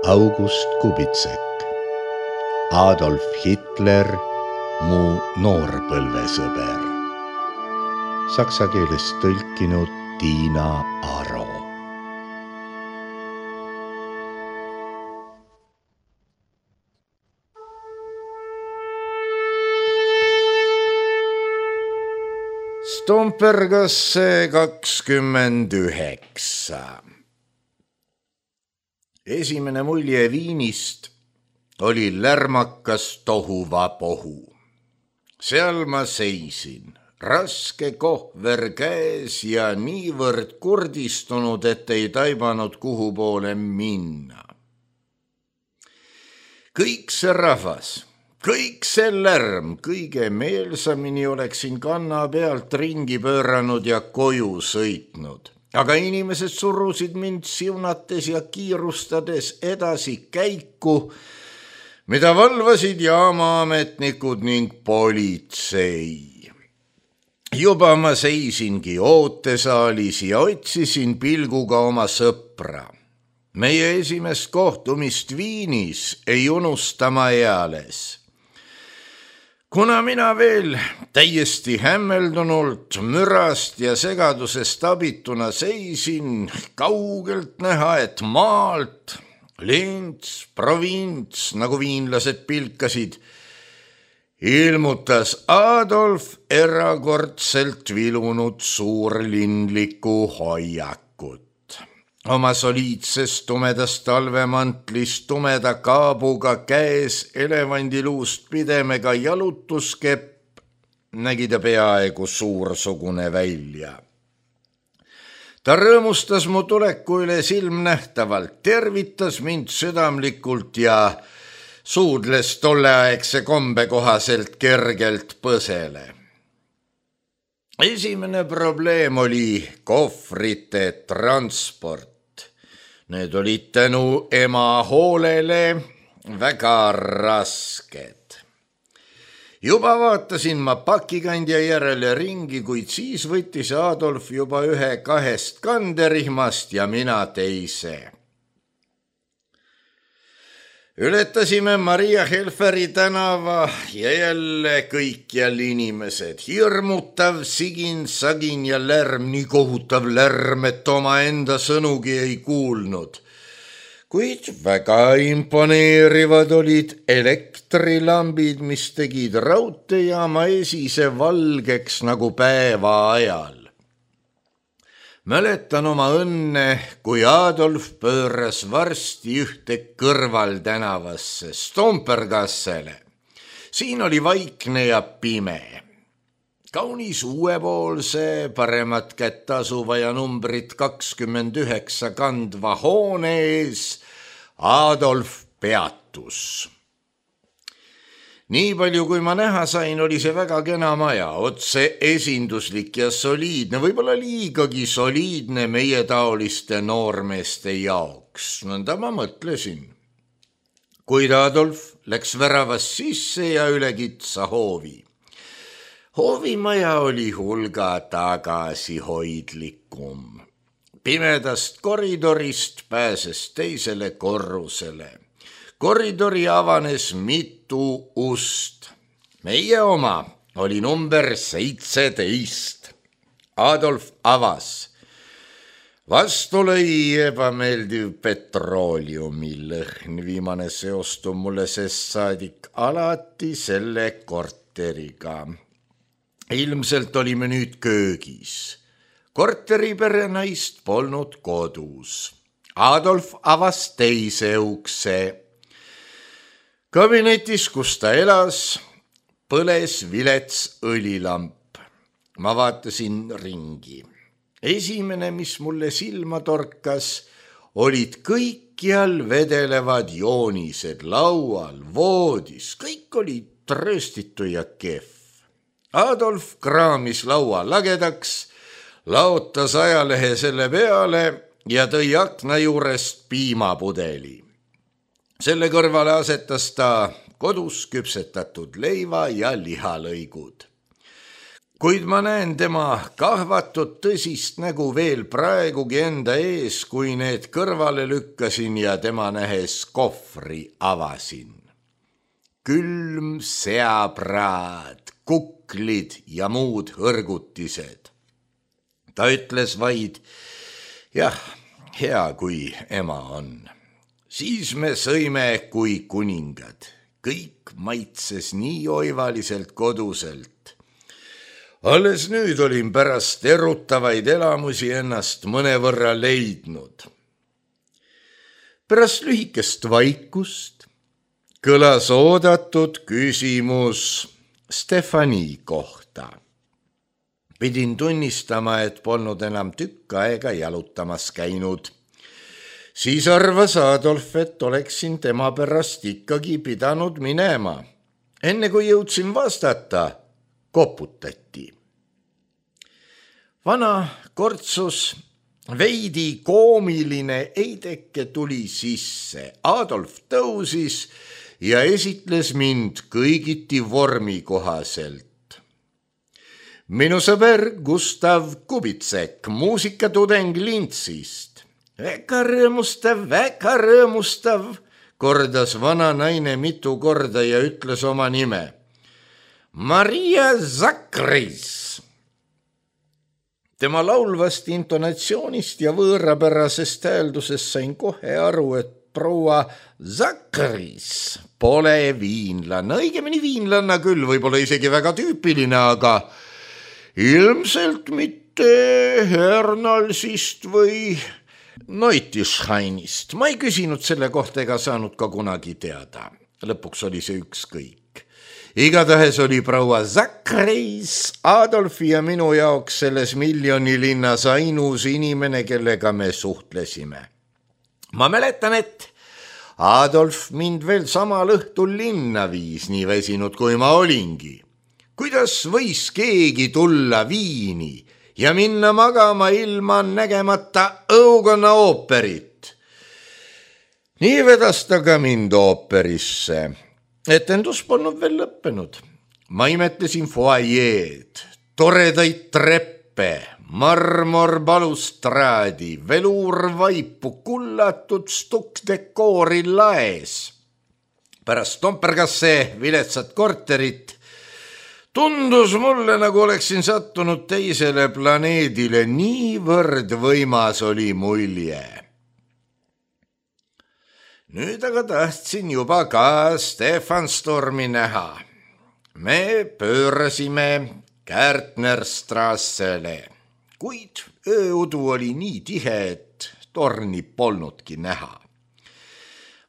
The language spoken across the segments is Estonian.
August Kubitsek, Adolf Hitler, mu noorpõlvesõber. Saksa keelest tõlkinud Tiina Aro. Stompergasse 29. Esimene mulje Viinist oli lärmakas tohuvapohu. Seal ma seisin, raske kohver käes ja niivõrd kurdistunud, et ei taibanud kuhu poole minna. Kõik see rahvas, kõik see lärm, kõige meelsamini oleksin kanna pealt ringi pööranud ja koju sõitnud. Aga inimesed surusid mind siunates ja kiirustades edasi käiku, mida valvasid jaamaametnikud ning politsei. Juba ma seisingi ootesaalis ja otsisin pilguga oma sõpra. Meie esimest kohtumist Viinis ei unusta ma eales. Kuna mina veel täiesti hämmeldunult mürast ja segadusest abituna seisin, kaugelt näha, et maalt, lints, provints, nagu viinlased pilkasid, ilmutas Adolf erakordselt vilunud suurlinliku hoiakut. Oma soliidses tumedas talvemantlis tumeda kaabuga käes elevandiluust pidemega jalutuskepp nägi ta peaaegu suursugune välja. Ta rõõmustas mu tuleku üle silmnähtavalt, tervitas mind südamlikult ja suudles tolleaegse kombe kohaselt kergelt põsele. Esimene probleem oli kohvrite transport. Need olid tänu ema hoolele väga rasked. Juba vaatasin ma pakikandja järele ringi, kuid siis võttis Adolf juba ühe 2 kanderihmast ja mina teise. Ületasime Maria Helferi tänava ja jälle kõikjal inimesed. Hirmutav sigin, sagin ja lärm, nii kohutav lärm, et oma enda sõnugi ei kuulnud. Kuid väga imponeerivad olid elektrilambid, mis tegid raudteejaama esise valgeks nagu päeva ajal. Mäletan oma õnne, kui Adolf pööras varsti ühte kõrvaltänavasse, Stompergassele. Siin oli vaikne ja pime. Kaunis uuepoolse, paremat kätt asuva ja numbrit 29 kandva hoone ees Adolf peatus. Nii palju, kui ma näha sain, oli see väga kena maja, otse esinduslik ja soliidne, võib-olla liigagi soliidne meie taoliste noormeeste jaoks. Nõnda ma mõtlesin. Kuid Adolf läks väravast sisse ja üle kitsa hoovi. Hoovimaja oli hulga tagasihoidlikum. Pimedast koridorist pääses teisele korrusele. Koridori avanes mitu ust. Meie oma oli number 17. Adolf avas. Vastu lõi ebameeldiv petrooliumi lõhn. Viimane seostub mulle sest saadik alati selle korteriga. Ilmselt olime nüüd köögis. Korteripere naist polnud kodus. Adolf avas teise ukse. Kabinetis, kus ta elas, põles vilets õlilamp. Ma vaatasin ringi. Esimene, mis mulle silma torkas, olid kõikjal vedelevad joonised laual, voodis. Kõik oli trööstitu ja kehv. Adolf kraamis laua lagedaks, laotas ajalehe selle peale ja tõi akna juurest piimapudeli. Selle kõrvale asetas ta kodus küpsetatud leiva ja lihalõigud. kuid ma näen tema kahvatud tõsist nägu veel praegugi enda ees, kui need kõrvale lükkasin ja tema nähes kohvri avasin. Külm seapraad, kuklid ja muud hõrgutised. Ta ütles vaid, jah, hea kui ema on. Siis me sõime kui kuningad. Kõik maitses nii oivaliselt koduselt. Alles nüüd olin pärast erutavaid elamusi ennast mõnevõrra leidnud. Pärast lühikest vaikust kõlas oodatud küsimus Stefani kohta. Pidin tunnistama, et polnud enam tükk aega jalutamas käinud. Siis arvas Adolf, et oleksin tema pärast ikkagi pidanud minema. Enne kui jõudsin vastata, koputati. Vana kortsus veidi koomiline eideke tuli sisse. Adolf tõusis ja esitles mind kõigiti vormi kohaselt. Minu sõber Gustav Kubitsek, muusikatudeng Lintsist. Väga rõõmustav, kordas vana naine mitu korda ja ütles oma nime. Maria Zakris. Tema laulvast intonatsioonist ja võõrapärasest hääldusest sain kohe aru, et proua Zakris pole viinlanna, õigemini viinlanna küll, võib-olla isegi väga tüüpiline, aga ilmselt mitte Hernalsist või Neutischhainist. Ma ei küsinud selle kohta ega saanud ka kunagi teada. Lõpuks oli see ükskõik. Igatahes oli proua Zakris Adolfi ja minu jaoks selles miljonilinnas ainus inimene, kellega me suhtlesime. Ma mäletan, et Adolf mind veel samal õhtul linna viis, nii väsinud kui ma olingi. Kuidas võis keegi tulla Viini ja minna magama ilma nägemata õugonna ooperit? Nii vedas ta ka mind ooperisse. Etendus polnud veel lõppenud. Ma imetlesin foajeed, toredaid treppe, marmorbalustraadi, veluurvaipu, kullatud stukkdekoori laes. Pärast Stompergasse viletsat korterit tundus mulle, nagu oleksin sattunud teisele planeedile, niivõrd võimas oli mulje. Nüüd aga tahtsin juba ka Stefanstormi näha. Me pöörasime Kärtnerstrassele, kuid ööudu oli nii tihe, et torni polnudki näha.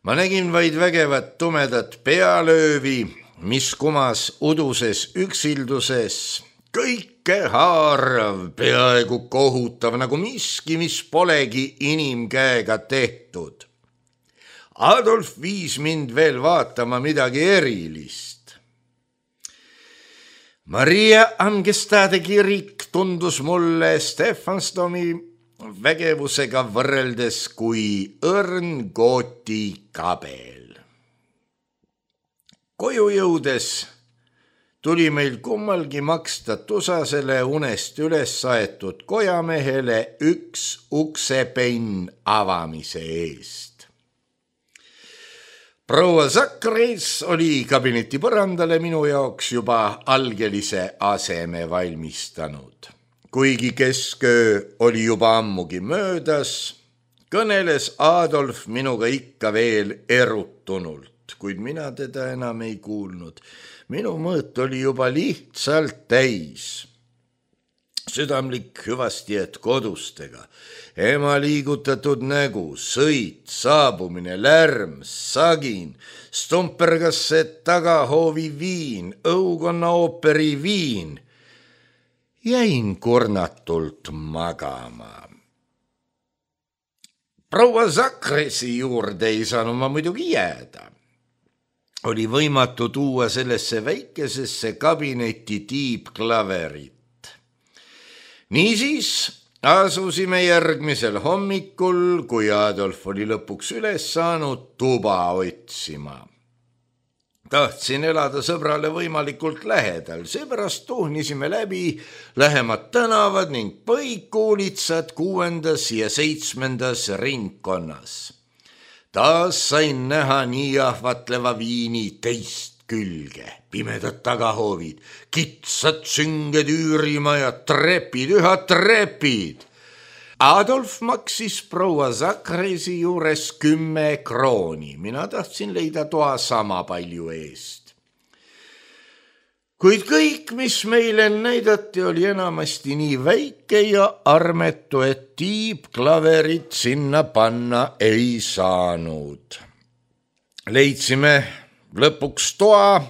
Ma nägin vaid vägevat tumedat pealöövi, mis kumas uduses üksilduses, kõikehaarav, peaaegu kohutav, nagu miski, mis polegi inimkäega tehtud. Adolf viis mind veel vaatama midagi erilist. Maria Angestade kirik tundus mulle Stefansdomi vägevusega võrreldes kui õrn Gooti kabel. Koju jõudes tuli meil kummalgi maksta tusasele unest üles saetud kojamehele üks uksepenn avamise eest. Proua Zakris oli kabineti põrandale minu jaoks juba algelise aseme valmistanud. Kuigi kesköö oli juba ammugi möödas, kõneles Adolf minuga ikka veel erutunult, kuid mina teda enam ei kuulnud. Minu mõõt oli juba lihtsalt täis. Südamlik hüvastijät kodustega, ema liigutatud nägu, sõit, saabumine, lärm, sagin, Stompergasse tagahoovi viin, õugonna ooperi viin. Jäin kurnatult magama. Proua Zakrisi juurde ei saanud ma muidugi jääda. Oli võimatu tuua sellesse väikesesse kabinetti tiibklaverit. Niisiis asusime järgmisel hommikul, kui Adolf oli lõpuks üles saanud, tuba otsima. Tahtsin elada sõbrale võimalikult lähedal, seepärast tuhnisime läbi lähemad tänavad ning põikuulitsad 6. ja 7. ringkonnas. Taas sain näha nii ahvatleva viini teist külge, pimedad tagahoovid, kitsad sünged üürimajad, trepid, üha trepid. Adolf maksis proua Zakresi juures 10 krooni, mina tahtsin leida toa sama palju eest. Kuid kõik, mis meile näidati, oli enamasti nii väike ja armetu, et tiibklaverit sinna panna ei saanud. Leidsime lõpuks toa,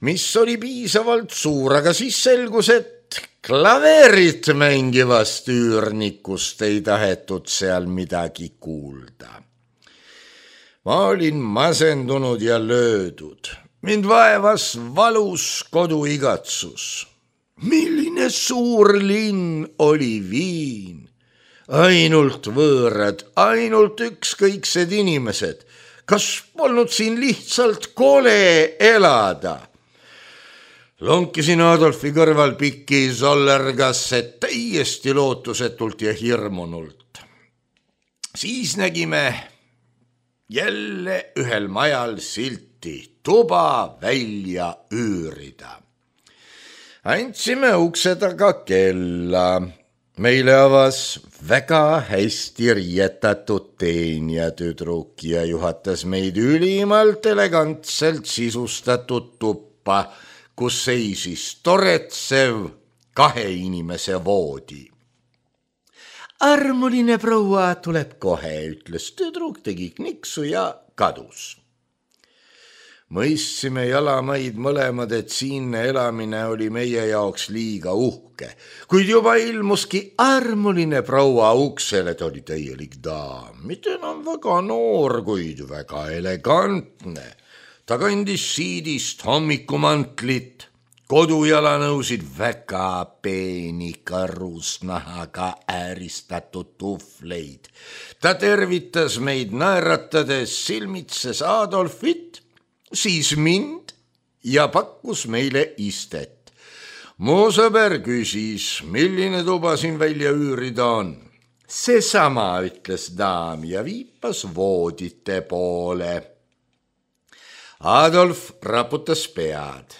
mis oli piisavalt suur, aga siis selgus, et klaverit mängivast üürnikust ei tahetud seal midagi kuulda. Ma olin masendunud ja löödud. Mind vaevas valus koduigatsus. Milline suur linn oli Viin. Ainult võõrad, ainult ükskõiksed inimesed. Kas polnud siin lihtsalt kole elada? Lonkisin Adolfi kõrval pikki sollergasse täiesti lootusetult ja hirmunult. Siis nägime jälle ühel majal silti tuba välja üürida. Andsime ukse taga kella. Meile avas väga hästi riietatud teenijatüdruk ja juhatas meid ülimalt elegantselt sisustatud tuppa, kus seisis toretsev 2 inimese voodi. Armuline proua tuleb kohe, ütles tüdruk, tegi kniksu ja kadus. Mõistsime jalamaid mõlemad, et siinne elamine oli meie jaoks liiga uhke, kuid juba ilmuski armuline proua uksele, et oli täielik daam, mitte enam väga noor, kuid väga elegantne. Ta kandis siidist hommikumantlit, kodujalanõusid väga peeni karusnahaga ääristatud tuhvleid. Ta tervitas meid naeratades, silmitses Adolfit, siis mind ja pakkus meile istet. Mu sõber küsis, milline tuba siin välja üürida on. Seesama, ütles daam ja viipas voodite poole. Adolf raputas pead.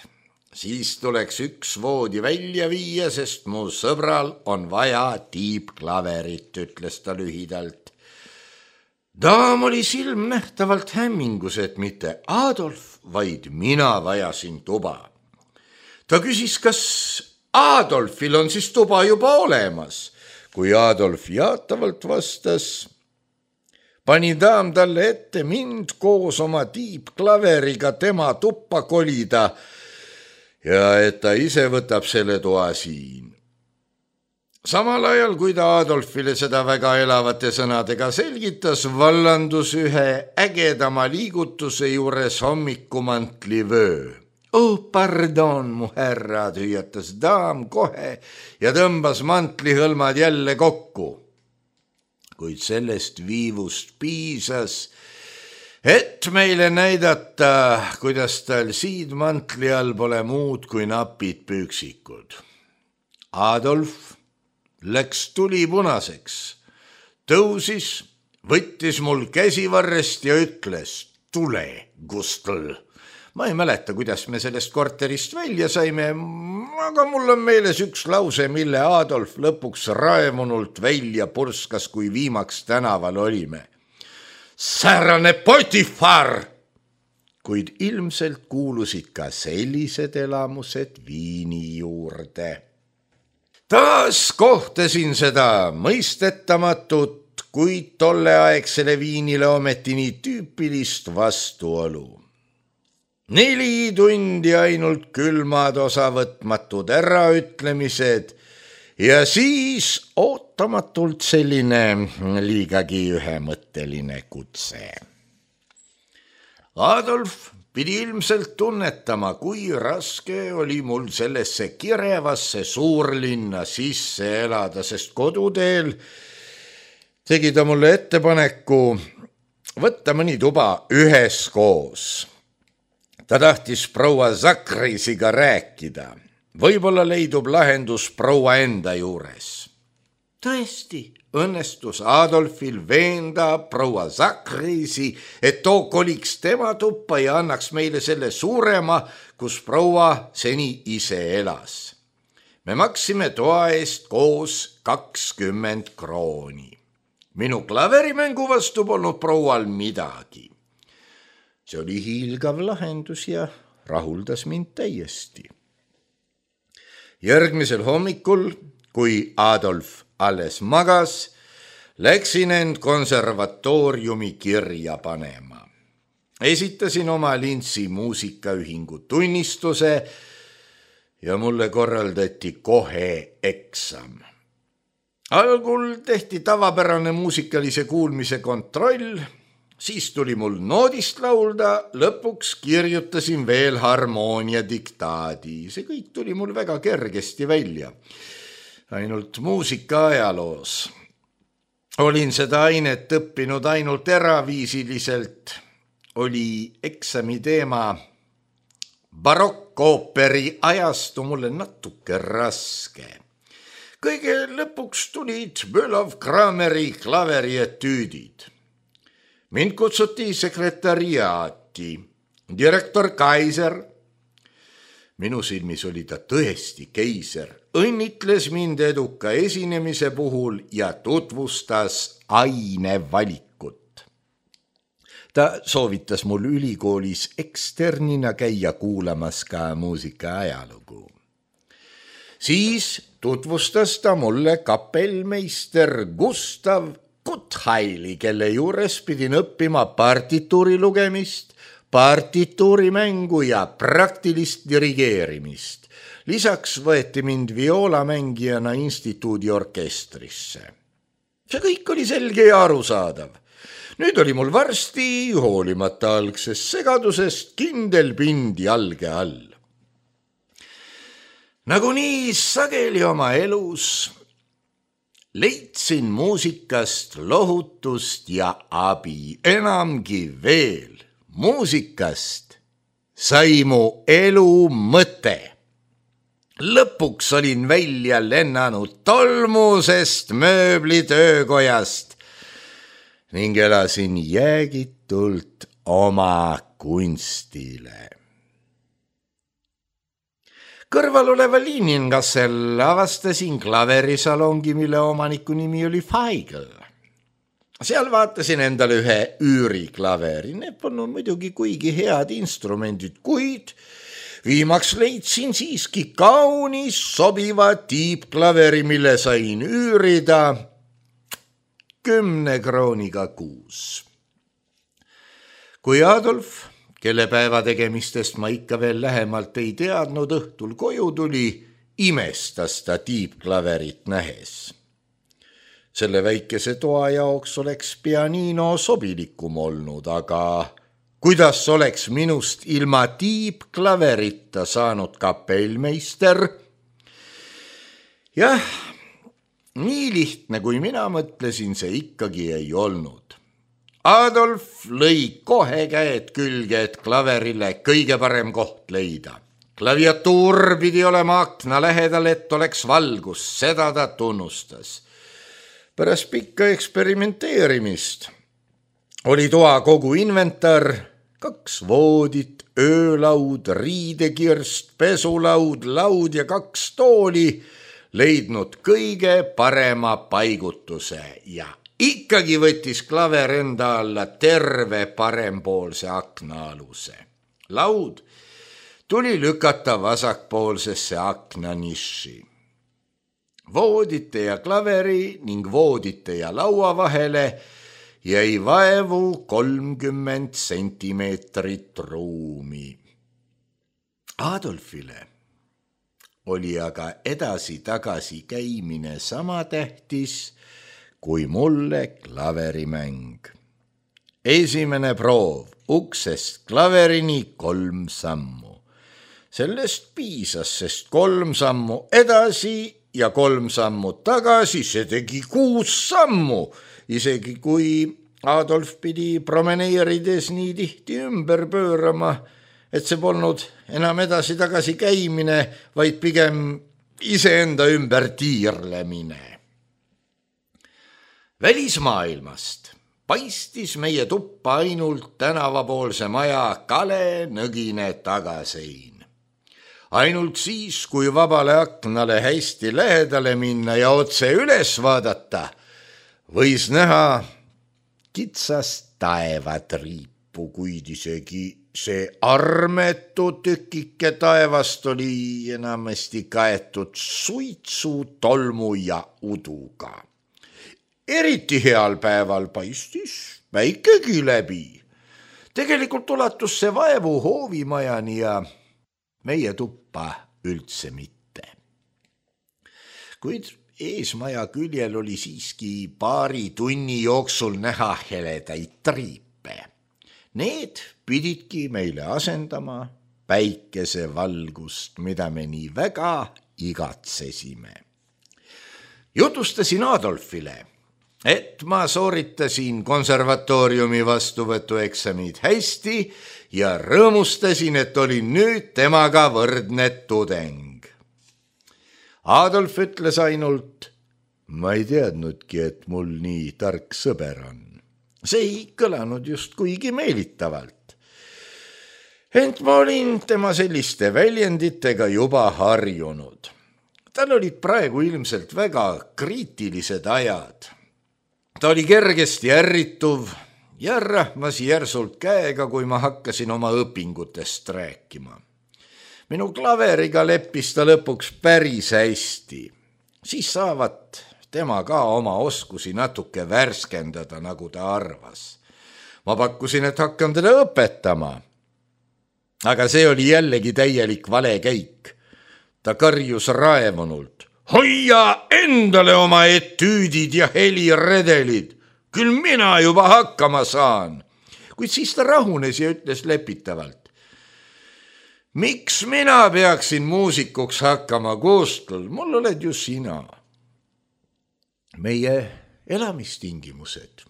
Siis tuleks üks voodi välja viia, sest mu sõbral on vaja tiibklaverit, ütles ta lühidalt. Daam oli silmnähtavalt hämmingus, et mitte Adolf, vaid mina vajasin tuba. Ta küsis, kas Adolfil on siis tuba juba olemas. Kui Adolf jaatavalt vastas, pani daam talle ette mind koos oma tiibklaveriga tema tuppa kolida ja et ta ise võtab selle toa siin. Samal ajal, kui ta Adolfile seda väga elavate sõnadega selgitas, vallandus ühe ägedama liigutuse juures hommikumantli vöö. Oh, pardon, mu härrad, hüüatas daam kohe ja tõmbas mantlihõlmad jälle kokku. Kuid sellest viivust piisas, et meile näidata, kuidas tal siidmantli all pole muud kui napid püksikud. Adolf läks tulipunaseks, tõusis, võttis mul käsivarrest ja ütles, tule, Gustl. Ma ei mäleta, kuidas me sellest korterist välja saime, aga mul on meeles üks lause, mille Adolf lõpuks raemunult välja purskas, kui viimaks tänaval olime. Säärane Potifar! Kuid ilmselt kuulusid ka sellised elamused Viini juurde. Taas kohtasin seda mõistetamatut, kuid tolleaegsele Viinile ometi nii tüüpilist vastuolu. 4 tundi ainult külmad osavõtmatud äraütlemised ja siis ootamatult selline liigagi ühemõtteline kutse. Adolf pidi ilmselt tunnetama, kui raske oli mul sellesse kirevasse suurlinna sisse elada, sest koduteel tegi ta mulle ettepaneku võtta mõni tuba üheskoos. Ta tahtis proua Zakrisiga rääkida. Võib-olla leidub lahendus proua enda juures. Tõesti, õnnestus Adolfil veenda proua Zakrisi, et too koliks tema tuppa ja annaks meile selle suurema, kus proua seni ise elas. Me maksime toa eest koos 20 krooni. Minu klaverimängu vastu polnud proual midagi. See oli hiilgav lahendus ja rahuldas mind täiesti. Järgmisel hommikul, kui Adolf alles magas, läksin end konservatooriumi kirja panema. Esitasin oma Lintsi muusikaühingu tunnistuse ja mulle korraldati kohe eksam. Algul tehti tavapärane muusikalise kuulmise kontroll, siis tuli mul noodist laulda, lõpuks kirjutasin veel harmoonia diktaadi. See kõik tuli mul väga kergesti välja. Ainult muusika ajaloos. Olin seda ainet õppinud ainult eraviisiliselt. Oli eksami teema barokkooperi ajastu mulle natuke raske. Kõige lõpuks tulid Bölov-Krameri klaverietüüdid. Mind kutsuti sekretariaati. Direktor Kaiser, minu silmis oli ta tõesti keiser, õnnitles mind eduka esinemise puhul ja tutvustas ainevalikut. Ta soovitas mul ülikoolis eksternina käia kuulamas ka muusika ajalugu. Siis tutvustas ta mulle kapellmeister Gustav Kuthaili, kelle juures pidin õppima partituuri lugemist, partituuri mängu ja praktilist dirigeerimist. Lisaks võeti mind violamängijana instituudi orkestrisse. See kõik oli selge ja arusaadav. Nüüd oli mul varsti, hoolimata algsest segadusest, kindel pind jalge all. Nagunii sageli oma elus leidsin muusikast lohutust ja abi, enamgi veel. Muusikast sai mu elu mõte. Lõpuks olin välja lennanud tolmusest mööblitöökojast ning elasin jäägitult oma kunstile. Kõrval oleva Liiningassel avastasin klaverisalongi, mille omaniku nimi oli Feigl. Seal vaatasin endale ühe üüriklaveri. Need polnud muidugi kuigi head instrumendid, kuid viimaks leidsin siiski kaunis sobiva tiibklaveri, mille sain üürida 10 krooniga kuus. Kui Adolf, kelle päeva tegemistest ma ikka veel lähemalt ei teadnud, õhtul koju tuli, imestas ta tiibklaverit nähes. Selle väikese toa jaoks oleks pianino sobilikum olnud, aga kuidas oleks minust ilma tiibklaverita saanud kapellmeister? Jah, nii lihtne, kui mina mõtlesin, see ikkagi ei olnud. Adolf lõi kohe käed külge, et klaverile kõige parem koht leida. Klaviatuur pidi olema akna lähedal, et oleks valgus, seda ta tunnustas. Pärast pikka eksperimenteerimist oli toa kogu inventar, 2 voodit, öölaud, riidekirst, pesulaud, laud ja 2 tooli leidnud kõige parema paigutuse ja ikkagi võttis klaver enda alla terve parempoolse aknaaluse. Laud tuli lükata vasakpoolsesse aknaniši. Voodite ja klaveri ning voodite ja laua vahele jäi vaevu 30 sentimeetrit ruumi. Adolfile oli aga edasi-tagasi käimine sama tähtis kui mulle klaverimäng. Esimene proov, uksest klaverini 3 sammu. Sellest piisas, sest 3 sammu edasi ja 3 sammu tagasi, see tegi 6 sammu, isegi kui Adolf pidi promeneerides nii tihti ümber pöörama, et see polnud enam edasi-tagasi käimine, vaid pigem iseenda ümber tiirlemine. Välismaailmast paistis meie tuppa ainult tänavapoolse maja kale nõgine tagasein. Ainult siis, kui vabale aknale hästi lähedale minna ja otse üles vaadata, võis näha kitsast taevatriipu, kuid isegi see armetu tükike taevast oli enamasti kaetud suitsu, tolmu ja uduga. Eriti heal päeval paistis päikegi läbi. Tegelikult ulatus see vaevu hoovimajani ja meie tuppa üldse mitte. Kuid eesmaja küljel oli siiski paari tunni jooksul näha heledaid triipe. Need pididki meile asendama päikesevalgust, mida me nii väga igatsesime. Jutustasin Adolfile, et ma sooritasin konservatooriumi vastuvõtueksamid hästi ja rõõmustasin, et olin nüüd temaga võrdne tudeng. Adolf ütles ainult, ma ei teadnudki, et mul nii tark sõber on. See ei kõlanud just kuigi meelitavalt. Ent ma olin tema selliste väljenditega juba harjunud. Tal olid praegu ilmselt väga kriitilised ajad. Ta oli kergesti ärrituv ja rahmas järsult käega, kui ma hakkasin oma õpingutest rääkima. Minu klaveriga leppis ta lõpuks päris hästi. Siis saavat tema ka oma oskusi natuke värskendada, nagu ta arvas. Ma pakkusin, et hakkam teda õpetama. Aga see oli jällegi täielik valekäik. Ta karjus raevunult. Hoia endale oma etüüdid ja heliredelid. Küll mina juba hakkama saan. Kuid siis ta rahunes ja ütles lepitavalt. Miks mina peaksin muusikuks hakkama koostööl? Mul oled ju sina. Meie elamistingimused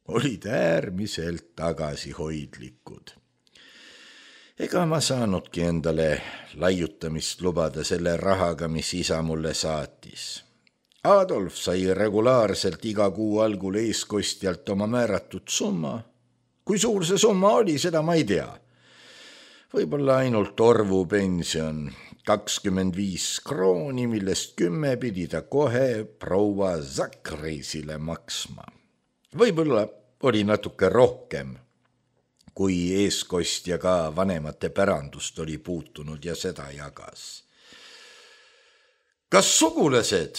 olid äärmiselt tagasihoidlikud. Ega ma saanudki endale laiutamist lubada selle rahaga, mis isa mulle saatis. Adolf sai regulaarselt iga kuu algul eeskostjalt oma määratud summa. Kui suur see summa oli, seda ma ei tea. Võib-olla ainult orvupension, 25 krooni, millest 10 pidi ta kohe proua Zakrisile maksma. Võib-olla oli natuke rohkem, kui eeskostja ka vanemate pärandust oli puutunud ja seda jagas. Kas sugulased,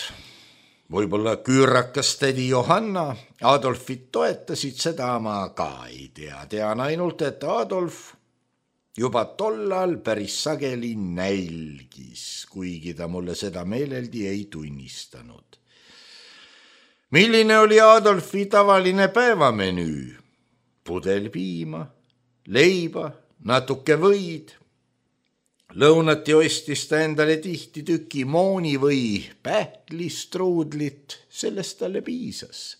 võib-olla küürakas tädi Johanna, Adolfit toetasid, seda ma ka ei tea. Tean ainult, et Adolf juba tollal päris sageli nälgis, kuigi ta mulle seda meeleldi ei tunnistanud. Milline oli Adolfi tavaline päevamenüü? Pudel piima, leiba, natuke võid. Lõunati ostis ta endale tihti tüki mooni või pähklistruudlit, sellest talle piisas.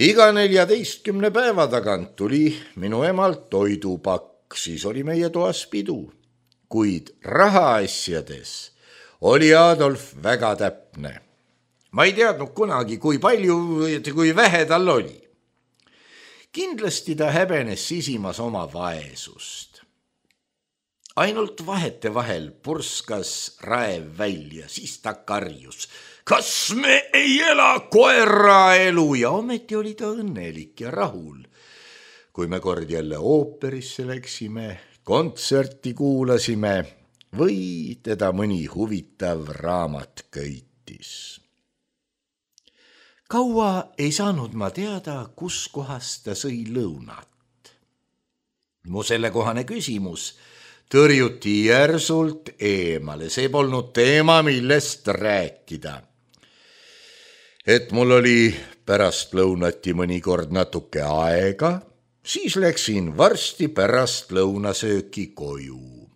Iga 14 päeva tagant tuli minu emalt toidupakk, siis oli meie toas pidu, kuid rahaasjades oli Adolf väga täpne. Ma ei teadnud kunagi, kui palju, kui vähe tal oli. Kindlasti ta häbenes sisimas oma vaesust. Ainult vahete vahel purskas raev välja, siis ta karjus. Kas me ei ela koera elu? Ja ometi oli ta õnnelik ja rahul. Kui me kord jälle ooperisse läksime, kontserti kuulasime või teda mõni huvitav raamat köitis. Kaua ei saanud ma teada, kus kohas ta sõi lõunat. Mu sellekohane küsimus tõrjuti järsult eemale, see polnud teema, millest rääkida. Et mul oli pärast lõunati mõnikord natuke aega, siis läksin varsti pärast lõunasööki koju.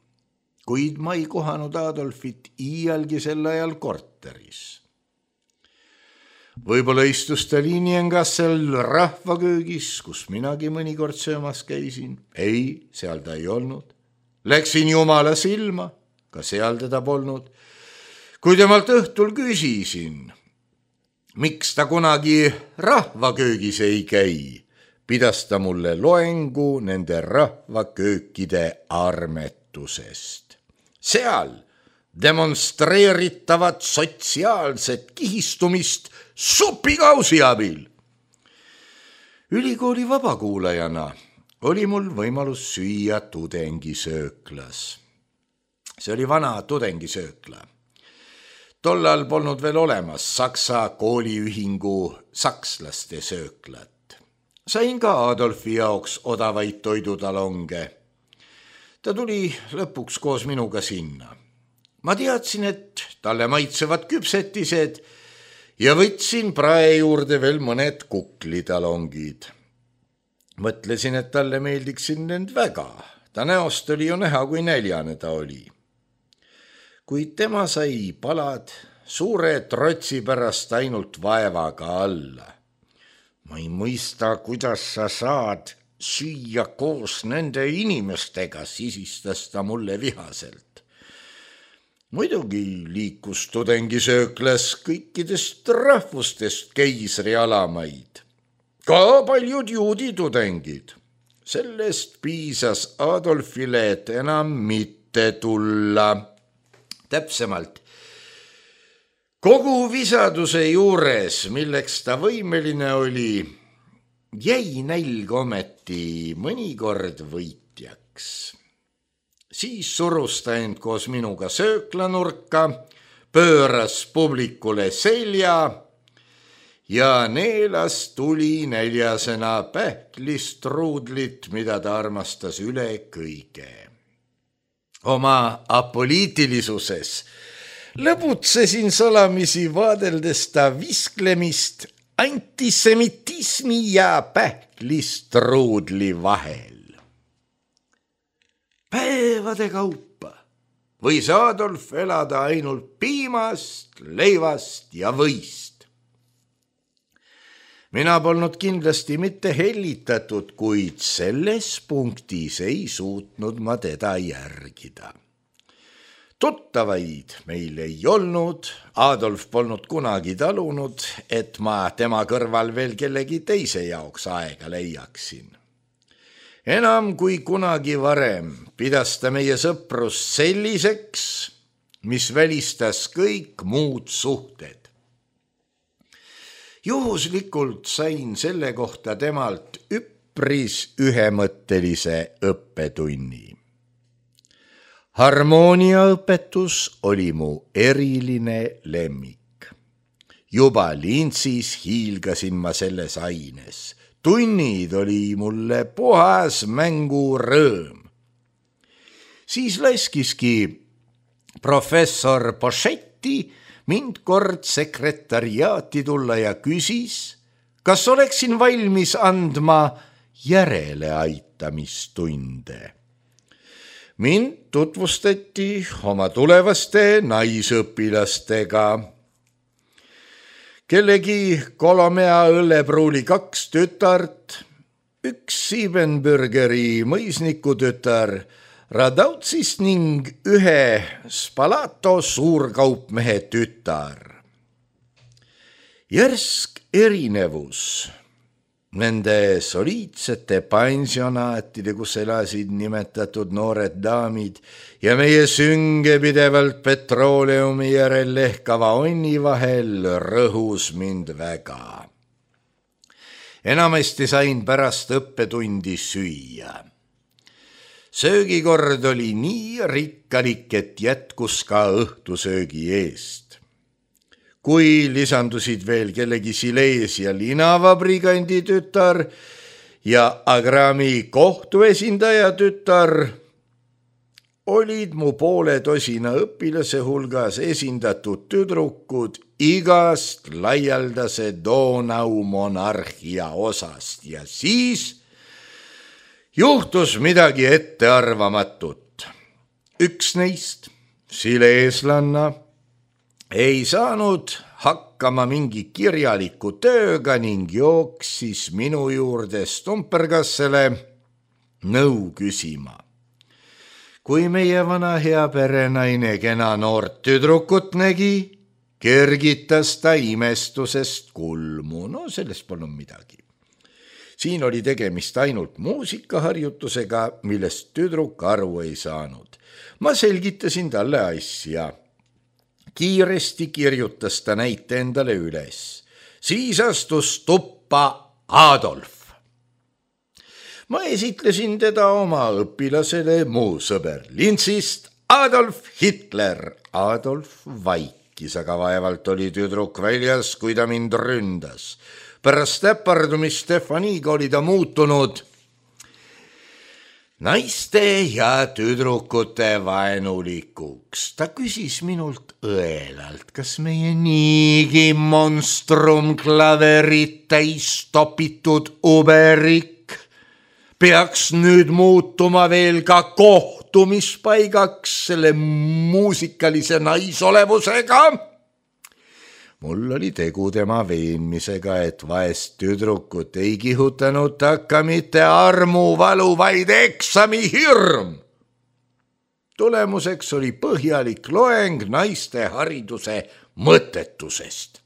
Kuid ma ei kohanud Adolfit iialgi sel ajal korteris. Võib-olla istus ta Liniengassel rahvaköögis, kus minagi mõnikord söömas käisin. Ei, seal ta ei olnud. Läksin jumala silma, ka seal teda polnud. Kui temalt õhtul küsisin, miks ta kunagi rahvaköögis ei käi, pidas ta mulle loengu nende rahvaköökide armetusest. Seal demonstreeritavat sotsiaalset kihistumist supikausi abil. Ülikooli vabakuulajana oli mul võimalus süüa tudengisööklas. See oli vana tudengisöökla. Tollal polnud veel olemas Saksa kooliühingu sakslaste sööklat. Sain ka Adolfi jaoks odavaid toidutalonge. Ta tuli lõpuks koos minuga sinna. Ma teadsin, et talle maitsevad küpsetised ja võtsin prae juurde veel mõned kuklitalongid. Mõtlesin, et talle meeldiksin need väga. Ta näost oli ju näha, kui näljane ta oli. Kuid tema sai palad suure trotsi pärast ainult vaevaga alla. Ma ei mõista, kuidas sa saad süüa koos nende inimestega, sisistas ta mulle vihaselt. Muidugi liikus tudengisööklas kõikidest rahvustest keisri alamaid. Ka paljud juudi tudengid. Sellest piisas Adolfile, et enam mitte tulla. Täpsemalt, kogu visaduse juures, milleks ta võimeline oli, jäi nälg ometi mõnikord võitjaks. Siis surus ta end koos minuga sööklanurka, pööras publikule selja ja neelas tuli näljasena pähklist ruudlit, mida ta armastas üle kõige. Oma apoliitilisuses lõbutsesin salamisi vaadeldes ta visklemist antisemitismi ja pähklist ruudli vahel. Päevade kaupa võis Adolf elada ainult piimast, leivast ja võist. Mina polnud kindlasti mitte hellitatud, kuid selles punktis ei suutnud ma teda järgida. Tuttavaid meil ei olnud, Adolf polnud kunagi talunud, et ma tema kõrval veel kellegi teise jaoks aega leiaksin. Enam kui kunagi varem pidas ta meie sõprus selliseks, mis välistas kõik muud suhted. Juhuslikult sain selle kohta temalt üpris ühemõttelise õppetunni. Harmooniaõpetus oli mu eriline lemmik. Juba lintsis hiilgasin ma selles aines. Tunnid oli mulle puhas mängurõõm. Siis laskiski professor Pochetti mind kord sekretariaati tulla ja küsis, kas oleksin valmis andma järeleaitamistunde. Mind tutvustati oma tulevaste naisõpilastega. Kellegi Kolomea õllepruuli 2 tütart, 1 Siebenbürgeri mõisniku tütar, Radautsist ning 1 Spalato suurkaupmehe tütar. Järsk erinevus nende soliidsete pensionaatide, kus elasid nimetatud noored daamid ja meie sünge pidevalt petrooleumi järel lehkava onni vahel rõhus mind väga. Enamasti sain pärast õppetundi süüa. Söögikord oli nii rikkalik, et jätkus ka õhtusöögi eest. Kui lisandusid veel kellegi Silesia linavabrigandi tütar ja Agrami kohtuesindaja tütar, olid mu poole tosina õpilase hulgas esindatud tüdrukud igast laialdase Donau monarhia osast ja siis juhtus midagi ettearvamatut. Üks neist, sileeslanna, ei saanud hakkama mingi kirjaliku tööga ning jooksis minu juurde Stumpergassele nõu küsima. kui meie vana hea perenaine kena noort tüdrukut nägi, kergitas ta imestusest kulmu. No sellest polnud midagi. Siin oli tegemist ainult muusikaharjutusega, millest tüdruk aru ei saanud. Ma selgitasin talle asja. Kiiresti kirjutas ta näite endale üles. Siis astus tuppa Adolf. Ma esitlesin teda oma õpilasele, muu sõber Lintsist, Adolf Hitler. Adolf vaikis, aga vaevalt oli tüdruk väljas, kui ta mind ründas. Pärast äpardumist Stefaniga oli ta muutunud naiste ja tüdrukute vaenulikuks. Ta küsis minult õelalt, kas meie niigi monstrum klaverit täis topitud uberik peaks nüüd muutuma veel ka kohtumispaigaks selle muusikalise naisolevusega. Mul oli tegu tema veenmisega, et vaest tüdrukut ei kihutanud takka mitte armuvalu, vaid eksamihirm. Tulemuseks oli põhjalik loeng naiste hariduse mõttetusest.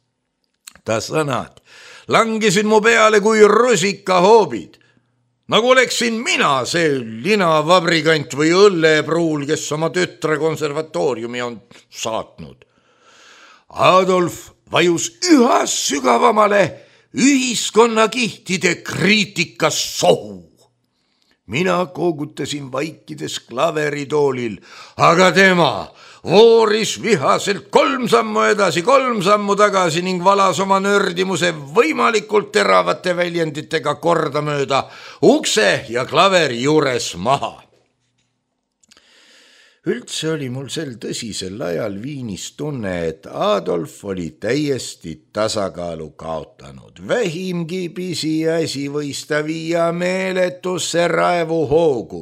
Ta sõnad langesid mu peale kui rusikahoobid. Nagu oleksin mina see linavabrikant või õllepruul, kes oma tütre konservatooriumi on saatnud. Adolf vajus üha sügavamale ühiskonnakihtide kriitikas sohu. Mina koogutasin vaikides klaveritoolil, aga tema vooris vihaselt 3 sammu edasi, 3 sammu tagasi ning valas oma nördimuse võimalikult teravate väljenditega kordamööda ukse ja klaveri juures maha. Üldse oli mul sel tõsisel ajal Viinis tunne, et Adolf oli täiesti tasakaalu kaotanud. Vähimgi pisiasi võis ta viia meeletusse raevuhoogu.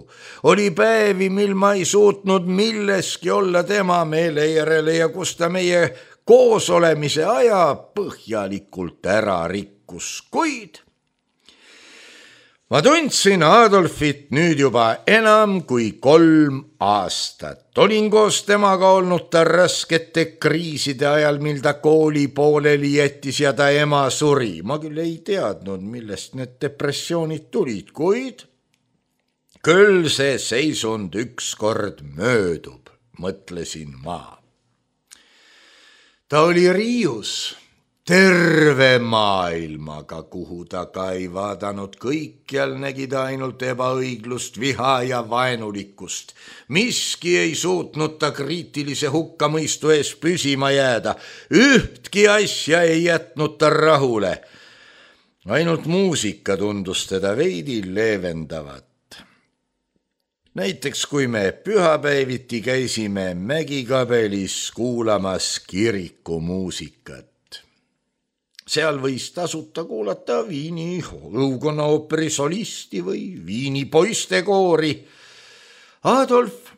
Oli päevi, mil ma ei suutnud milleski olla tema meele järele ja kus ta meie koosolemise aja põhjalikult ära rikkus, kuid ma tundsin Adolfit nüüd juba enam kui 3 aastat. Olin koos temaga olnud ta raskete kriiside ajal, mil ta kooli pooleli jättis ja ta ema suri. Ma küll ei teadnud, millest need depressioonid tulid, kuid küll see seisund ükskord möödub, mõtlesin ma. Ta oli riius terve maailmaga, kuhu ta ka ei vaadanud, kõikjal nägi ta ainult ebaõiglust, viha ja vaenulikkust. Miski ei suutnud ta kriitilise hukkamõistu ees püsima jääda. Ühtki asja ei jätnud ta rahule. Ainult muusika tundus teda veidi leevendavat. Näiteks kui me pühapäeviti käisime Mägikabelis kuulamas kirikumuusikat. Seal võis tasuta kuulata Viini õukonnaooperi solisti või Viini poistekoori. Adolf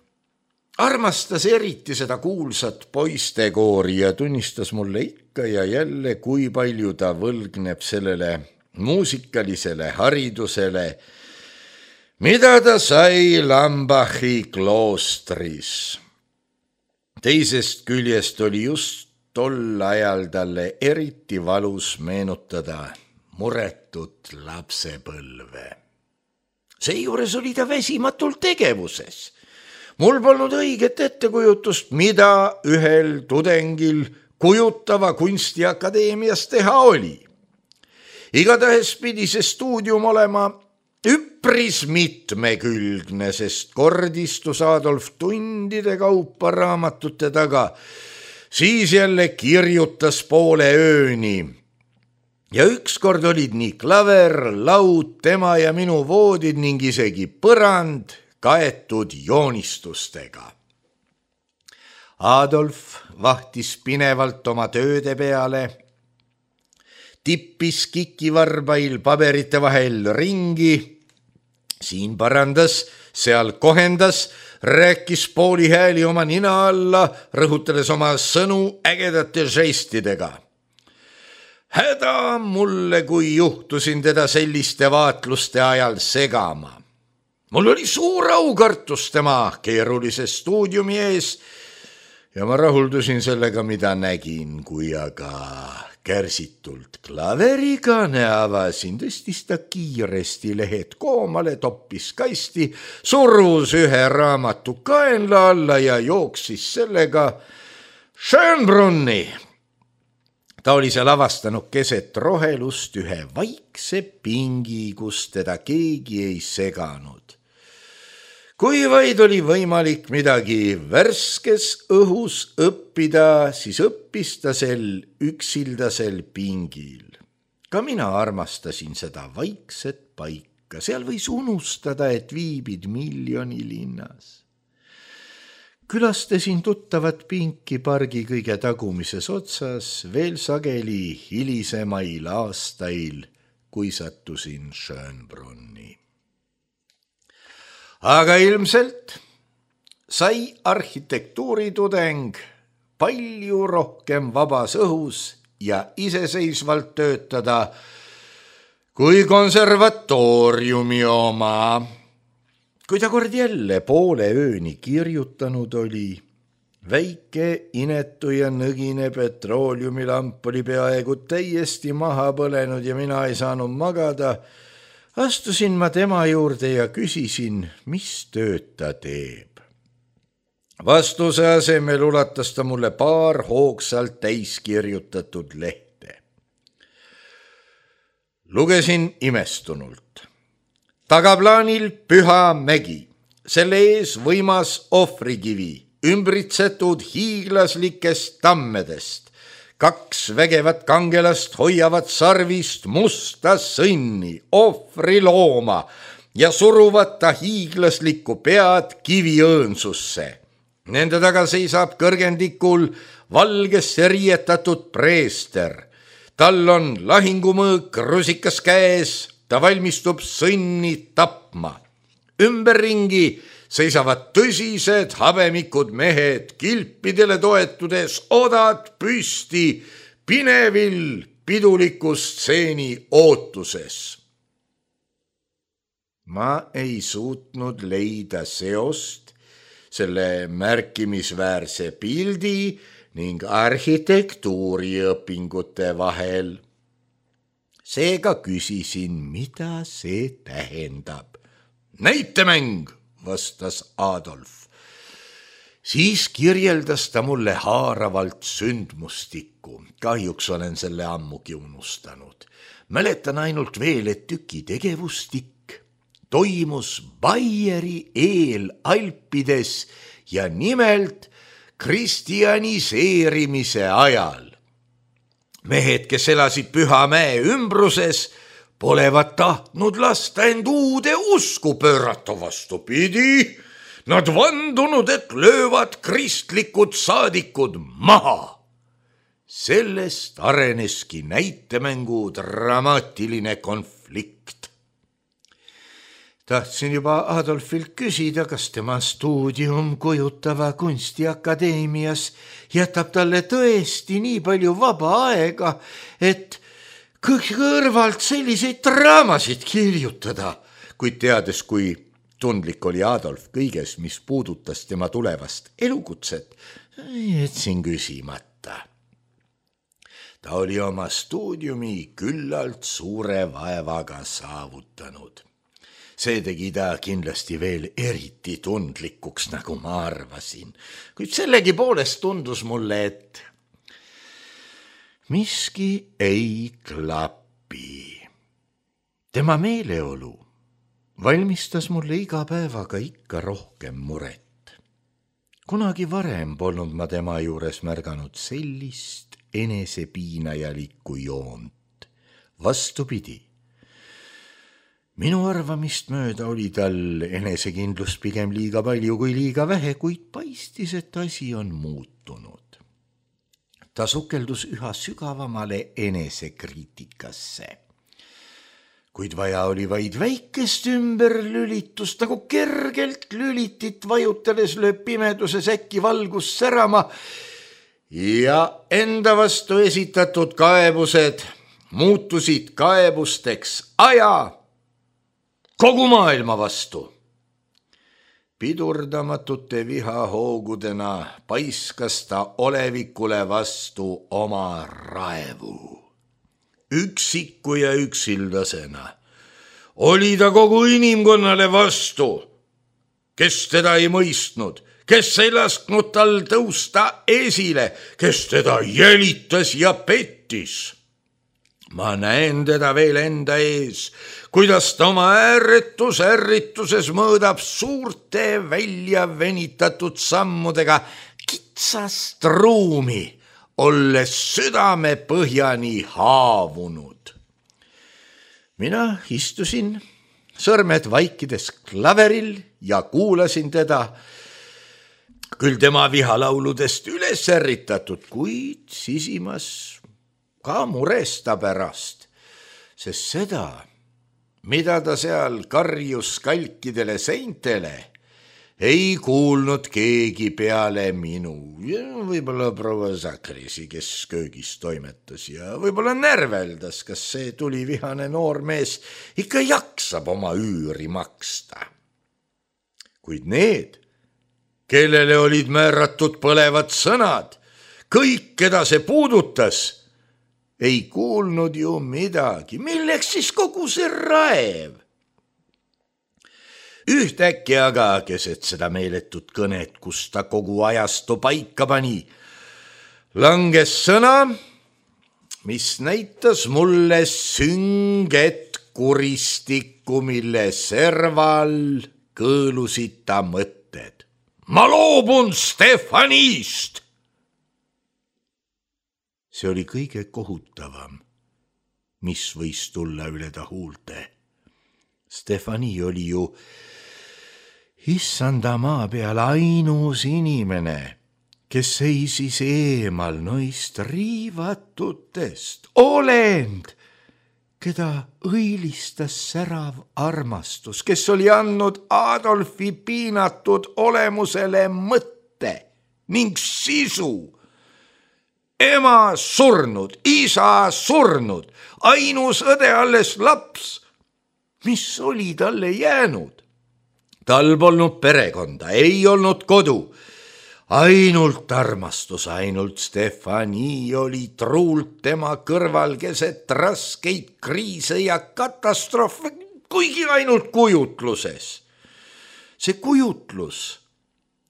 armastas eriti seda kuulsat poistekoori ja tunnistas mulle ikka ja jälle, kui palju ta võlgneb sellele muusikalisele haridusele, mida ta sai Lambachi kloostris. Teisest küljest oli just tol ajal talle eriti valus meenutada muretut lapsepõlve. Seejuures oli ta väsimatult tegevuses. Mul polnud õiget ettekujutust, mida ühel tudengil kujutava kunstiakadeemias teha oli. Igatahes pidi see stuudium olema üpris mitmekülgne, sest kord istus Adolf tundide kaupa raamatute taga, siis jälle kirjutas poole ööni. Ja ükskord olid nii klaver, laud, tema ja minu voodid ning isegi põrand kaetud joonistustega. Adolf vahtis pinevalt oma tööde peale, tippis kikivarbail paberite vahel ringi, siin parandas, seal kohendas, rääkis pooli hääli oma nina alla, rõhutades oma sõnu ägedate žestidega. Häda mulle, kui juhtusin teda selliste vaatluste ajal segama. mul oli suur aukartus tema keerulise stuudiumi ees ja ma rahuldusin sellega, mida nägin, kui aga kärsitult klaverikaane avasin, tõstis ta kiiresti lehed koomale, toppis kasti, surus ühe raamatu kaenla alla ja jooksis sellega Schönbrunni. Ta oli seal avastanud keset rohelust ühe vaikse pingi, kus teda keegi ei seganud. Kui vaid oli võimalik midagi värskes õhus õppida, siis õppis ta sel üksildasel pingil. Ka mina armastasin seda vaikset paika, seal võis unustada, et viibid miljonilinnas. Külastasin tuttavat pinki pargi kõige tagumises otsas, veel sageli hilisemail aastail, kui sattusin Schönbrunni. Aga ilmselt sai arhitektuuritudeng palju rohkem vabas õhus ja iseseisvalt töötada kui konservatooriumi oma. Kui ta kord jälle poole ööni kirjutanud oli, väike, inetu ja nõgine petrooliumilamp oli peaaegu täiesti maha põlenud ja mina ei saanud magada, astusin ma tema juurde ja küsisin, mis tööd ta teeb. Vastuse asemel ulatas ta mulle paar hoogsalt täiskirjutatud lehte. Lugesin imestunult. Tagaplaanil Püha mägi, selle ees võimas ohvrikivi, ümbritsetud hiiglaslikest tammedest. 2 vägevat kangelast hoiavad sarvist musta sõnni, ohvrilooma ja suruvad ta hiiglaslikku pead kiviõõnsusse. Nende taga seisab kõrgendikul valgesse riietatud preester. Tal on lahingumõõk rusikas käes, ta valmistub sõnni tapma. Ümberringi seisavad tõsised habemikud mehed, kilpidele toetudes odad püsti, pinevil piduliku stseeni ootuses. Ma ei suutnud leida seost selle märkimisväärse pildi ning arhitektuuriõpingute vahel. Seega küsisin, mida see tähendab. Näitemäng, vastas Adolf. Siis kirjeldas ta mulle haaravalt sündmustikku. Kahjuks olen selle ammugi unustanud. Mäletan ainult veel, et tüki tegevustik toimus Baieri eel Alpides ja nimelt kristjaniseerimise ajal. Mehed, kes elasid Püha mäe ümbruses, polevat tahtnud lasta end uude usku pöörata, vastupidi. Nad vandunud, et löövad kristlikud saadikud maha. Sellest areneski näitemängu dramaatiline konflikt. Tahtsin juba Adolfilt küsida, kas tema stuudium Kujutava kunstiakadeemias jätab talle tõesti nii palju vaba aega, et kõrvalt selliseid draamasid kirjutada, kuid teades, kui tundlik oli Adolf kõiges, mis puudutas tema tulevast elukutset, jätsin küsimata. Ta oli oma stuudiumi küllalt suure vaevaga saavutanud. See tegi ta kindlasti veel eriti tundlikuks, nagu ma arvasin, kuid sellegi poolest tundus mulle, et miski ei klapi. Tema meeleolu valmistas mulle iga päevaga ikka rohkem muret. Kunagi varem polnud ma tema juures märganud sellist enesepiinajalikku joont. Vastupidi. Minu arvamist mööda oli tal enesekindlust pigem liiga palju kui liiga vähe, kuid paistis, et asi on muutunud. Ta sukeldus üha sügavamale enesekriitikasse. Kuid vaja oli vaid väikest ümberlülitust, nagu kergelt lülitit vajutades lööb pimeduses äkki valgus särama ja enda vastu esitatud kaebused muutusid kaebusteks aja kogu maailma vastu. pidurdamatute vihahoogudena paiskas ta olevikule vastu oma raevu. Üksiku ja üksildasena oli ta kogu inimkonnale vastu, kes teda ei mõistnud, kes ei lasknud tal tõusta esile, kes teda jälitas ja pettis. Ma näen teda veel enda ees, kuidas ta oma ärrituses mõõdab suurte välja venitatud sammudega kitsast ruumi, olles südame põhjani haavunud. Mina istusin sõrmed vaikides klaveril ja kuulasin teda, küll tema vihalauludest üles ärritatud, kuid sisimas ka muresta pärast, sest seda, mida ta seal karjus kalkidele seintele, ei kuulnud keegi peale minu. Võib-olla proua Zakrisi, kes köögis toimetas ja võib-olla närveldas, kas see tulivihane noormees ikka jaksab oma üüri maksta. Kuid need, kellele olid määratud põlevad sõnad, kõik, keda see puudutas, ei kuulnud ju midagi. Milleks siis kogu see raev? Ühtäkki aga keset seda meeletut kõnet, kus ta kogu ajastu paika pani, langes sõna, mis näitas mulle sünget kuristikku, mille serval kõõlusid ta mõtted. Ma loobun Stefanist! See oli kõige kohutavam, mis võis tulla üle ta huulte. Stefani oli ju issanda maa peal ainus inimene, kes seisis eemal noist riivatutest, olend, keda õilistas särav armastus, kes oli andnud Adolfi piinatud olemusele mõtte ning sisu. Ema surnud, isa surnud, ainus õde alles laps. Mis oli talle jäänud? Tal polnud perekonda, ei olnud kodu. Ainult armastus, ainult Stefani oli truult tema kõrval keset raskeid kriise ja katastroofe, kuigi ainult kujutluses. See kujutlus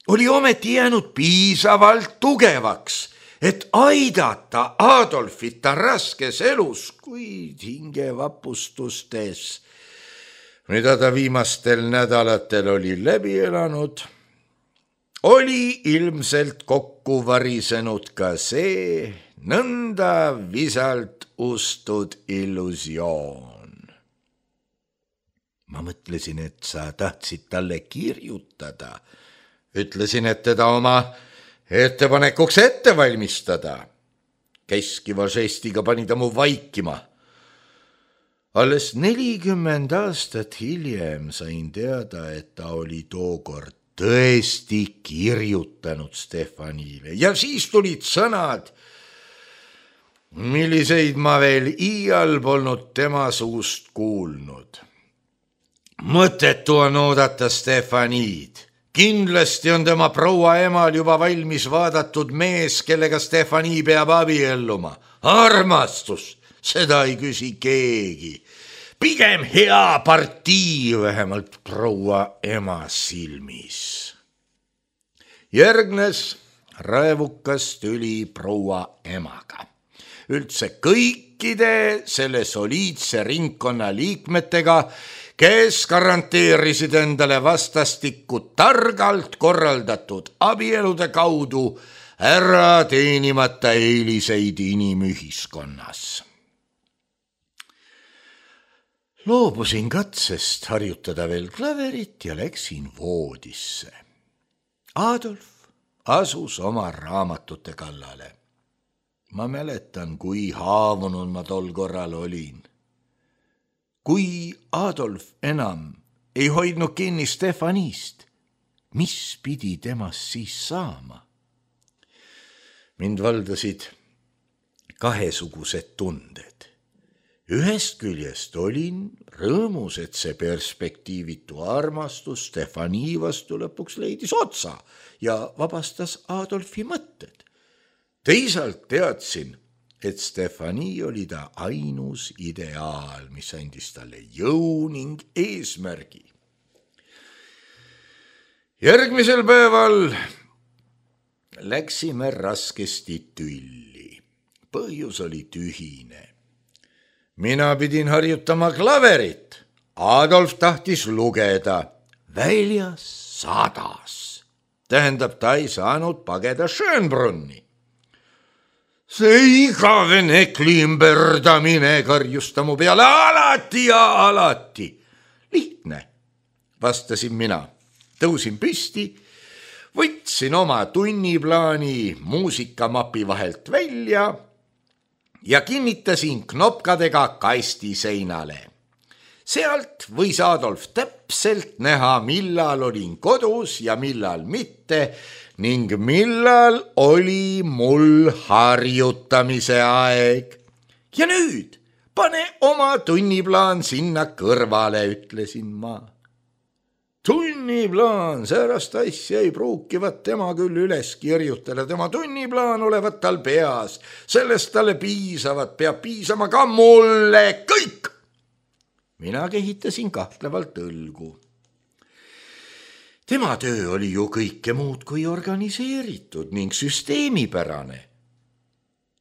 oli ometi jäänud piisavalt tugevaks, et aidata Adolfit ta raskes elus, kuid hingevapustustes, mida ta viimastel nädalatel oli läbi elanud, oli ilmselt kokku varisenud ka see nõnda visalt ustud illusioon. Ma mõtlesin, et sa tahtsid talle kirjutada. Ütlesin, et teda oma ettepanekuks ette valmistada. Keskiva žestiga pani ta mu vaikima. Alles 40 aastat hiljem sain teada, et ta oli tookord tõesti kirjutanud Stefanile ja siis tulid sõnad, milliseid ma veel iial polnud tema suust kuulnud. Mõttetu on oodata Stefanid. Kindlasti on tema proua emal juba valmis vaadatud mees, kellega Stefani peab abielluma. Armastus, seda ei küsi keegi. Pigem hea partii, vähemalt proua ema silmis. Järgnes raevukas tüli proua emaga. Üldse kõikide selle soliidse ringkonna liikmetega, kes garanteerisid endale vastastikku targalt korraldatud abielude kaudu ära teenimata eeliseid inimühiskonnas. Loobusin katsest harjutada veel klaverit ja läksin voodisse. Adolf asus oma raamatute kallale. Ma mäletan, kui haavunud ma tol korral olin. Kui Adolf enam ei hoidnud kinni Stefanist, mis pidi temast siis saama? Mind valdasid kahesugused tunded. Ühest küljest olin rõõmus, et see perspektiivitu armastus Stefani vastu lõpuks leidis otsa ja vabastas Adolfi mõtted. Teisalt teadsin, et Stefani oli ta ainus ideaal, mis andis talle jõu ning eesmärgi. Järgmisel päeval läksime raskesti tülli. Põhjus oli tühine. Mina pidin harjutama klaverit. Adolf tahtis lugeda. Väljas sadas. Tähendab, ta ei saanud pageda Schönbrunni. See igavene klimberdamine karjus ta mu peale alati ja alati. Lihtne, vastasin mina. Tõusin püsti, võtsin oma tunniplaani muusikamapi vahelt välja ja kinnitasin knopkadega kasti seinale. Sealt võis Adolf täpselt näha, millal olin kodus ja millal mitte ning millal oli mul harjutamise aeg. Ja nüüd pane oma tunniplaan sinna kõrvale, ütlesin ma. Tunniplaan, säärast asja ei pruukivat tema küll üles kirjutada, tema tunniplaan olevat tal peas, sellest talle piisavat, peab piisama ka mulle, kõik. Mina kehitasin kahtlevalt õlgu. Tema töö oli ju kõike muud kui organiseeritud ning süsteemipärane.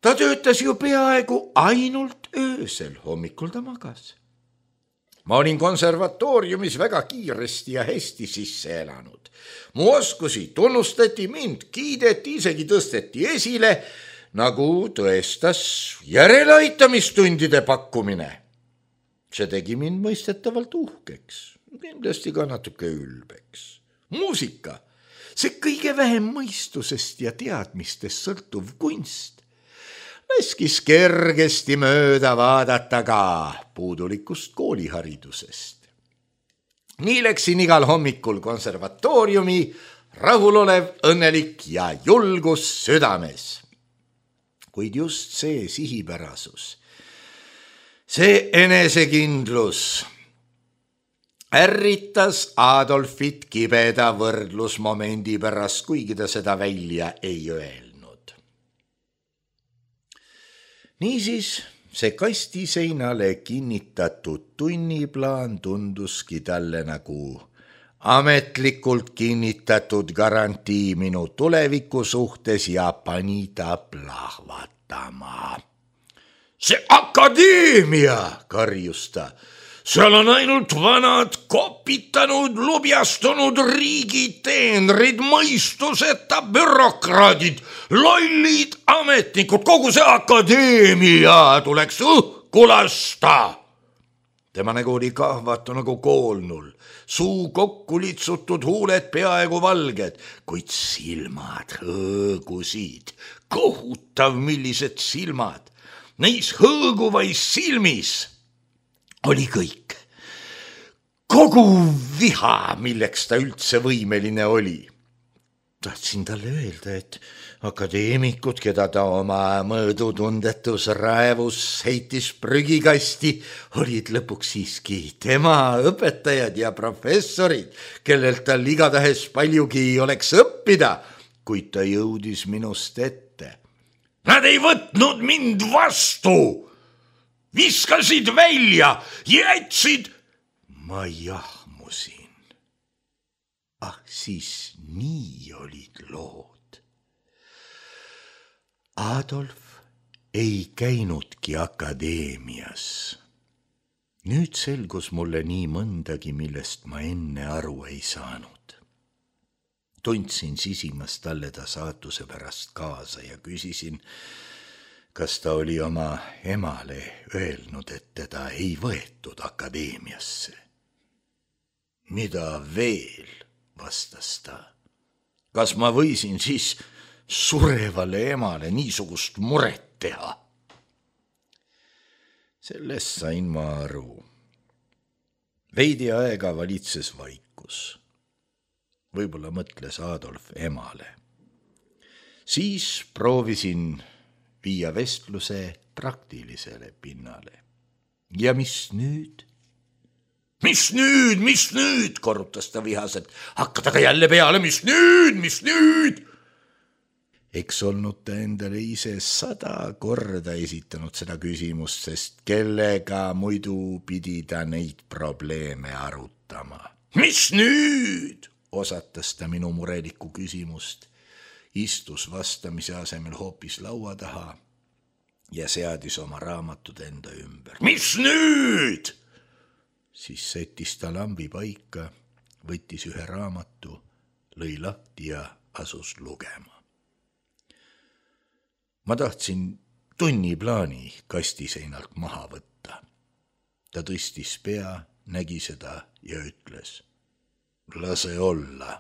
Ta töötas ju peaaegu ainult öösel, hommikul ta magas. Ma olin konservatooriumis väga kiiresti ja hästi sisse elanud. Mu oskusi tunnustati, mind kiideti, isegi tõsteti esile, nagu tõestas järeleaitamistundide pakkumine. See tegi mind mõistetavalt uhkeks, kindlasti ka natuke ülbeks. Muusika, see kõige vähem mõistusest ja teadmistest sõltuv kunst, laskis kergesti mööda vaadata ka puudulikust kooliharidusest. Nii läksin igal hommikul konservatooriumi, rahulolev, õnnelik ja julgus südames. Kuid just see sihipärasus, see enesekindlus ärritas Adolfit kibeda võrdlusmomendi pärast, kuigi ta seda välja ei öelnud. Niisiis, see kastiseinale kinnitatud tunniplaan tunduski talle nagu ametlikult kinnitatud garantii minu tuleviku suhtes ja pani ta plahvatama. See akadeemia, karjus ta. Seal on ainult vanad, kopitanud, lubjastunud riigiteenrid, mõistuseta bürokraadid, lollid ametnikud, kogu see akadeemia tuleks õhku lasta. Tema nägu oli kahvatu nagu koolnul, suu kokku litsutud, huuled peaaegu valged, kuid silmad hõõgusid. Kohutav, millised silmad. Neis hõõguvais silmis oli kõik. Kogu viha, milleks ta üldse võimeline oli. Tahtsin talle öelda, et akadeemikud, keda ta oma mõõdutundetus raevus heitis prügikasti, olid lõpuks siiski tema õpetajad ja professorid, kellelt tal igatahes paljugi oleks õppida, kuid ta jõudis minust ette. Nad ei võtnud mind vastu! Viskasid välja, jätsid. Ma jahmusin. Siis nii olid lood. Adolf ei käinudki akadeemias. Nüüd selgus mulle nii mõndagi, millest ma enne aru ei saanud. Tundsin sisimas talle ta saatuse pärast kaasa ja küsisin, kas ta oli oma emale öelnud, et teda ei võetud akadeemiasse. Mida veel, vastas ta. Kas ma võisin siis surevale emale niisugust muret teha? Sellest sain ma aru. Veidi aega valitses vaikus. Võib-olla mõtles Adolf emale. Siis proovisin viia vestluse praktilisele pinnale. ja mis nüüd? Mis nüüd, korrutas ta vihaselt. Hakkad aga jälle peale, mis nüüd? Eks olnud ta endale ise 100 korda esitanud seda küsimust, sest kellega muidu pidi ta neid probleeme arutama. Mis nüüd? Osatas ta minu murelikku küsimust, istus vastamise asemel hoopis laua taha ja seadis oma raamatud enda ümber. Mis nüüd? Siis sättis ta lambi paika, võttis ühe raamatu, lõi lahti ja asus lugema. Ma tahtsin tunniplaani kastiseinalt maha võtta. Ta tõstis pea, nägi seda ja ütles: lase olla.